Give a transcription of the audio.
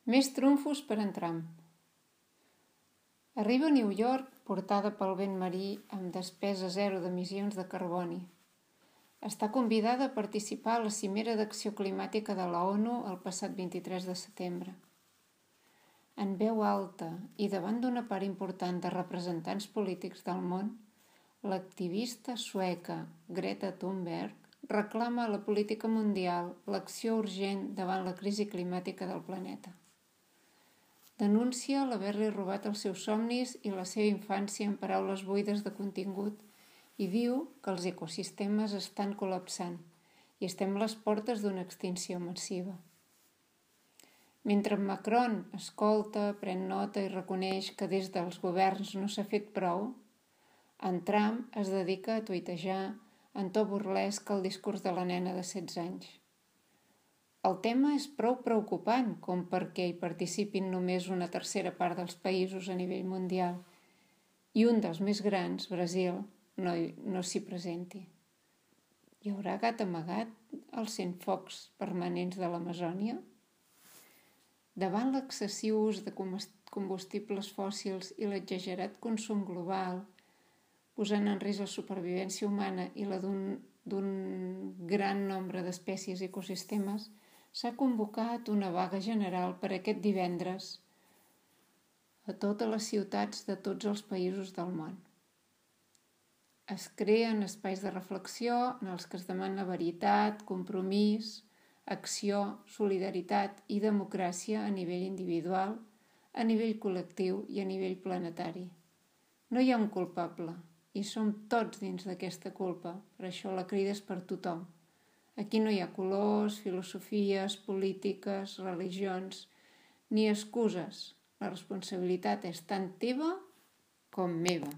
Més trumfos per en Trump. Arriba a New York portada pel vent marí amb despesa zero d'emissions de carboni. Està convidada a participar a la cimera d'acció climàtica de la ONU el passat 23 de setembre. En veu alta i davant d'una part important de representants polítics del món, l'activista sueca Greta Thunberg reclama a la política mundial l'acció urgent davant la crisi climàtica del planeta. Denuncia l'haver-li robat els seus somnis i la seva infància en paraules buides de contingut i diu que els ecosistemes estan col·lapsant i estem a les portes d'una extinció massiva. Mentre Macron escolta, pren nota i reconeix que des dels governs no s'ha fet prou, en Trump es dedica a tuitejar en to burlesc el discurs de la nena de 16 anys. El tema és prou preocupant com perquè hi participin només una tercera part dels països a nivell mundial i un dels més grans, Brasil, no s'hi presenti. Hi haurà gat amagat als centfocs permanents de l'Amazònia? Davant l'excessiu ús de combustibles fòssils i l'exagerat consum global, posant en risc la supervivència humana i la d'un gran nombre d'espècies i ecosistemes, s'ha convocat una vaga general per aquest divendres a totes les ciutats de tots els països del món. Es creen espais de reflexió en els que es demana veritat, compromís, acció, solidaritat i democràcia a nivell individual, a nivell col·lectiu i a nivell planetari. No hi ha un culpable i som tots dins d'aquesta culpa, per això la crida és per tothom. Aquí no hi ha colors, filosofies, polítiques, religions, ni excuses. La responsabilitat és tant teva com meva.